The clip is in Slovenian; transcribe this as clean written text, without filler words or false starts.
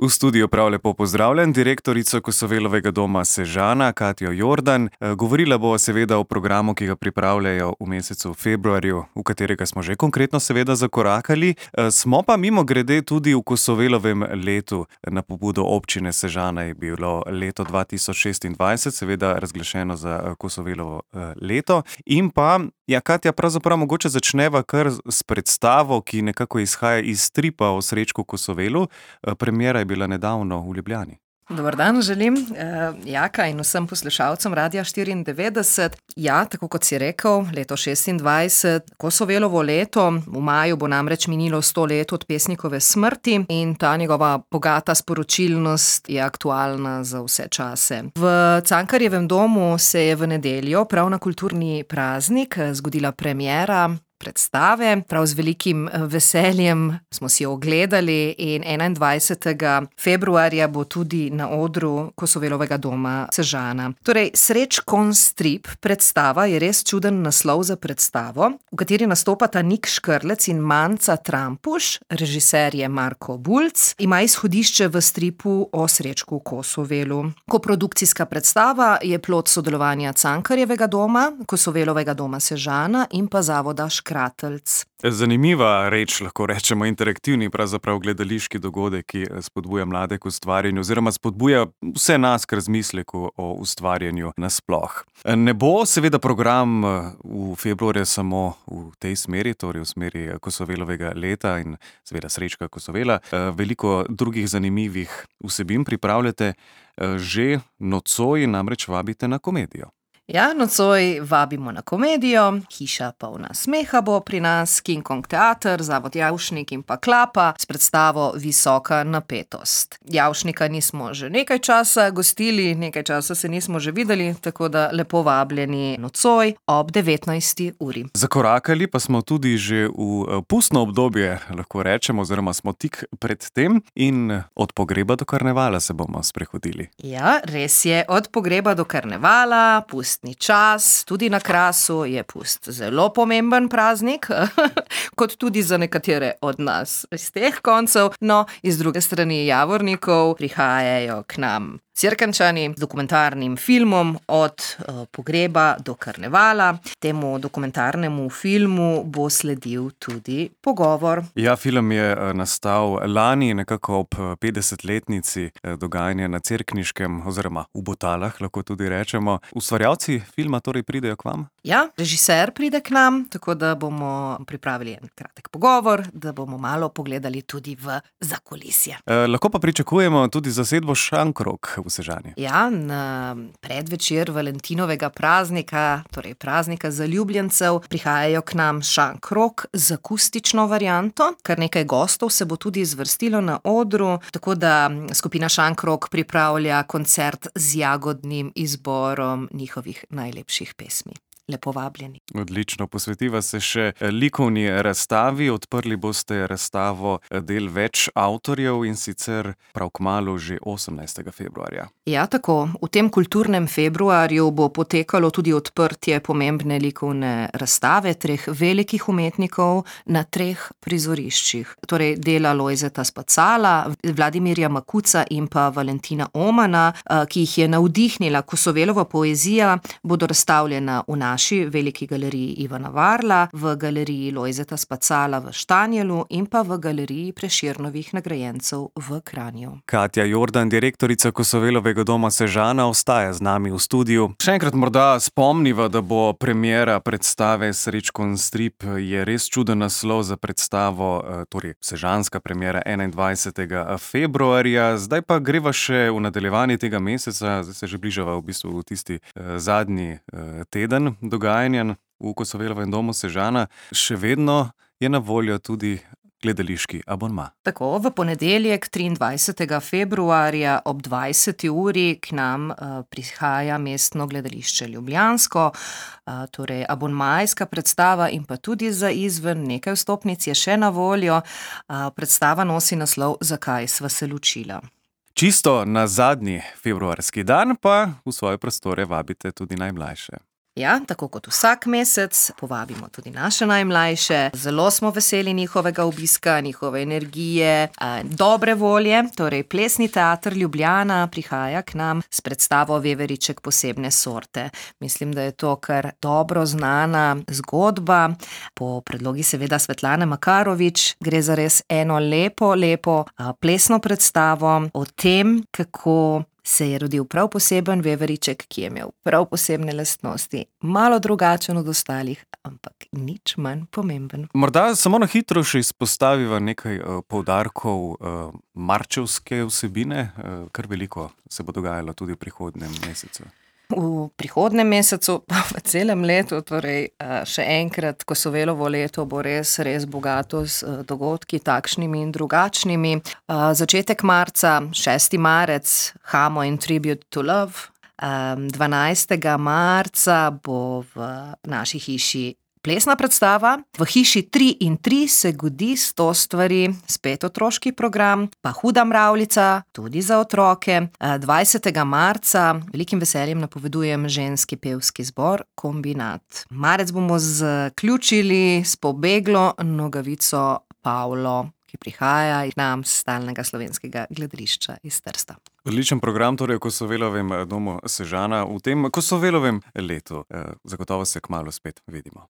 V studiu prav lepo pozdravljam direktorico Kosovelovega doma Sežana, Katjo Jordan. Govorila bo seveda o programu, ki ga pripravljajo v mesecu februarju, v katerega smo že konkretno seveda zakorakali. Smo pa mimogrede tudi v Kosovelovem letu. Na pobudo občine Sežana je bilo leto 2026, seveda razglašeno za Kosovelovo leto. In pa, Katja, pravzaprav mogoče začneva kar s predstavo, ki nekako izhaja iz stripa o Srečku Kosovelu. Premiera je bila nedavno v Ljubljani. Dober dan želim, Jaka in vsem poslušalcem Radia 94. Ja, tako kot si rekel, leto 26, Kosovelovo leto, v maju bo namreč minilo 100 let od pesnikove smrti in ta njegova bogata sporočilnost je aktualna za vse čase. V Cankarjevem domu se je v nedeljo, prav na kulturni praznik, zgodila premiera predstave. Prav z velikim veseljem smo si jo ogledali in 21. februarja bo tudi na odru Kosovelovega doma Sežana. Torej, Srečkon strip predstava je res čuden naslov za predstavo, v kateri nastopata Nik Škrlec in Manca Trampuš, režiser je Marko Bulc, ima izhodišče v stripu o Srečku Kosovelu. Koprodukcijska predstava je plod sodelovanja Cankarjevega doma, Kosovelovega doma Sežana in pa zavoda Kratelc. Zanimiva reč, lahko rečemo interaktivni, pravzaprav gledališki dogodek, ki spodbuja mlade k ustvarjanju oziroma spodbuja vse nas k razmisleku o ustvarjanju nasploh. Ne bo seveda program v februarju samo v tej smeri, torej v smeri Kosovelovega leta in seveda Srečka Kosovela. Veliko drugih zanimivih vsebin pripravljate. Že nocoj namreč vabite na komedijo. Ja, nocoj vabimo na komedijo, Hiša polna smeha bo pri nas, King Kong teater, zavod Javšnik in pa Klapa s predstavo Visoka napetost. Javšnika nismo že nekaj časa gostili, nekaj časa se nismo že videli, tako da lepo vabljeni nocoj ob 19. uri. Zakorakali pa smo tudi že v pustno obdobje, lahko rečemo, oziroma smo tik pred tem in od pogreba do karnevala se bomo sprehodili. Ja, res je, od pogreba do karnevala, čas, tudi na Krasu je pust zelo pomemben praznik, kot tudi za nekatere od nas iz teh koncev. No, iz druge strani Javornikov prihajajo k nam Cerkničani z dokumentarnim filmom od pogreba do karnevala. Temu dokumentarnemu filmu bo sledil tudi pogovor. Ja, film je nastal lani, nekako ob 50-letnici dogajanja na Cerkniškem oziroma v Botalah, lahko tudi rečemo. Ustvarjalci filma torej pridejo k vam? Ja, režiser pride k nam, tako da bomo pripravili en kratek pogovor, da bomo malo pogledali tudi v zakulisje. Lahko pa pričakujemo tudi zasedbo Šankrok v Sežani. Ja, na predvečer Valentinovega praznika, torej praznika zaljubljencev, prihajajo k nam Šankrok z akustično varianto. Kar nekaj gostov se bo tudi zvrstilo na odru, tako da skupina Šankrok pripravlja koncert z jagodnim izborom njihovih najlepših pesmi. Lepo vabljeni. Odlično, posvetiva se še likovni razstavi. Odprli boste razstavo del več avtorjev in sicer prav kmalu že 18. februarja. Ja, tako. V tem kulturnem februarju bo potekalo tudi odprtje pomembne likovne razstave 3 velikih umetnikov na 3 prizoriščih. Torej dela Lojzeta Spacala, Vladimirja Makuca in pa Valentina Omana, ki jih je navdihnila Kosovelova poezija, bodo razstavljena v naši veliki galeriji Ivana Varla, v galeriji Lojzeta Spacala v Štanjelu in pa v galeriji Prešernovih nagrajencev v Kranju. Katja Jordan, direktorica Kosovelovega doma Sežana, ostaja z nami v studiu. Še enkrat morda spomniva, da bo premiera predstave Srečkon strip, je res čuden naslov za predstavo, torej sežanska premiera 21. februarja. Zdaj pa greva še v nadaljevanje tega meseca, zdaj se že bližava v bistvu v tisti zadnji teden dogajanja v Kosovelovem domu Sežana. Še vedno je na voljo tudi gledališki abonma. Tako, v ponedeljek 23. februarja ob 20. uri k nam prihaja Mestno gledališče ljubljansko, torej abonmajska predstava in pa tudi za izven nekaj vstopnic je še na voljo. Predstava nosi naslov Zakaj sva se ločila. Čisto na zadnji februarski dan pa v svoje prostore vabite tudi najmlajše. Ja, tako kot vsak mesec, povabimo tudi naše najmlajše. Zelo smo veseli njihovega obiska, njihove energije, dobre volje. Torej, Plesni teater Ljubljana prihaja k nam s predstavo Veveriček posebne sorte. Mislim, da je to kar dobro znana zgodba. Po predlogi seveda Svetlane Makarovič gre za res eno lepo plesno predstavo o tem, kako se je rodil prav poseben veveriček, ki je imel prav posebne lastnosti, malo drugačen od ostalih, ampak nič manj pomemben. Morda samo na hitro še izpostaviva nekaj poudarkov marčevske vsebine, kar veliko se bo dogajalo tudi v prihodnjem mesecu. V prihodnem mesecu, pa v celem letu, torej še enkrat, Kosovelovo leto bo res bogato z dogodki takšnimi in drugačnimi. Začetek marca, 6. marec, Hamo in Tribute to Love. 12. marca bo v naši hiši plesna predstava. V hiši 3 in 3 se godi 100 stvari, spet otroški program, pa Huda mravljica, tudi za otroke. 20. marca velikim veseljem napovedujem ženski pevski zbor Kombinat. Marec bomo zaključili s pobeglo Nogavico Pavlo, ki prihaja k nam s stalnega slovenskega gledališča iz Trsta. Odličen program torej v Kosovelovem domu Sežana v tem Kosovelovem letu. Zagotovo se kmalu spet vidimo.